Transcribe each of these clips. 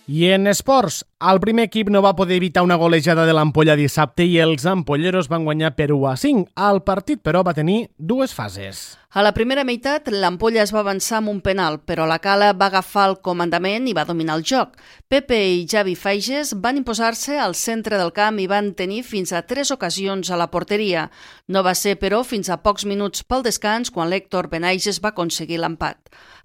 I en esports, el primer equip no va poder evitar una golejada de l'Ampolla dissabte i els ampolleros van guanyar per 1-5. El partit, però, va tenir dues fases. A la primera meitat, l'Ampolla es va avançar amb un penal, però la Cala va agafar el comandament i va dominar el joc. Pepe i Javi Faiges van imposar-se al centre del camp i van tenir fins a 3 ocasions a la porteria. No va ser, però, fins a pocs minuts pel descans quan l'Héctor Benaiges va aconseguir l'empat.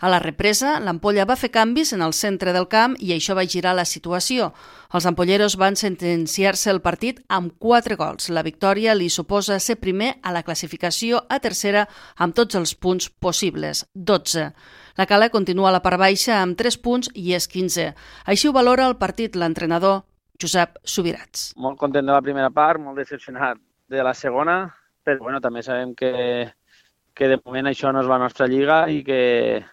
A la represa, l'Ampolla va fer canvis en el centre del camp i això va girar la situació. Els ampolleros van sentenciar-se el partit amb 4 gols. La victòria li suposa ser primer a la classificació a tercera amb tots els punts possibles, 12. La Cala continua a la part baixa amb 3 punts i és 15. Així ho valora el partit l'entrenador Josep Subirats. Molt content de la primera part, molt decepcionat de la segona, però bueno, també sabem que de moment això no és la nostra lliga i que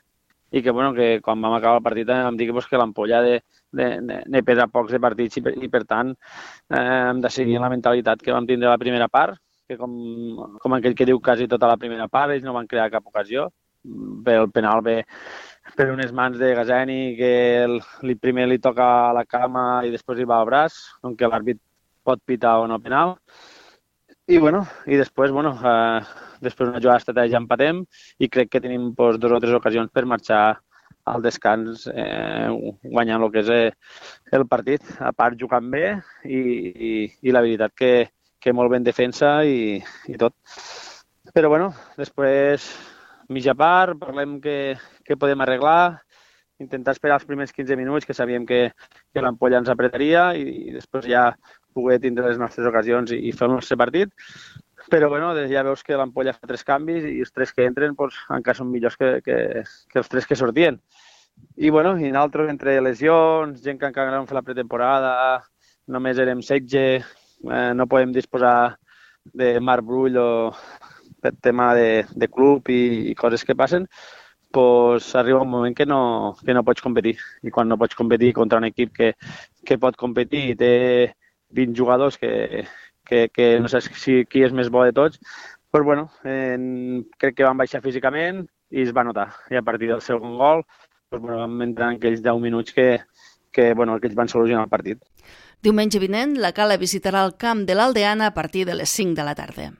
quan vam acabar el partit vam dir que l'Ampolla ne pesa pocs de partits i per tant hem de seguir la mentalitat que vam tindre la primera part, que com aquell que diu quasi tota la primera part, ells no van crear cap ocasió. El penal ve per unes mans de Gazeni que primer li toca a la cama i després li va al braç, on l'àrbit pot pitar o no penal. I després d'una jugada estratègia empatem i crec que tenim 2 o 3 ocasions per marxar al descans guanyant el que és el partit, a part jugant bé i la veritat que molt ben defensa i tot. Però després mitja part, parlem que podem arreglar, intentar esperar els primers 15 minuts que sabíem que l'Ampolla ens apretaria i després ja poder tindre les nostres ocasions i fer el nostre partit. Però ja veus que l'Ampolla fa 3 canvis i els 3 que entren encara són millors que els 3 que sortien. I nosaltres, entre lesions, gent que encara vam fer la pretemporada, només érem 16, no podem disposar de Marc Brull o per tema de club i coses que passen, arriba un moment que no pots competir. I quan no pots competir contra un equip que pot competir i té 20 jugadors que no saps qui és més bo de tots, crec que van baixar físicament i es va notar. I a partir del segon gol vam entrar en aquells 10 minuts que ells van solucionar el partit. Diumenge vinent, la Cala visitarà el camp de l'Aldeana a partir de les 5 de la tarda.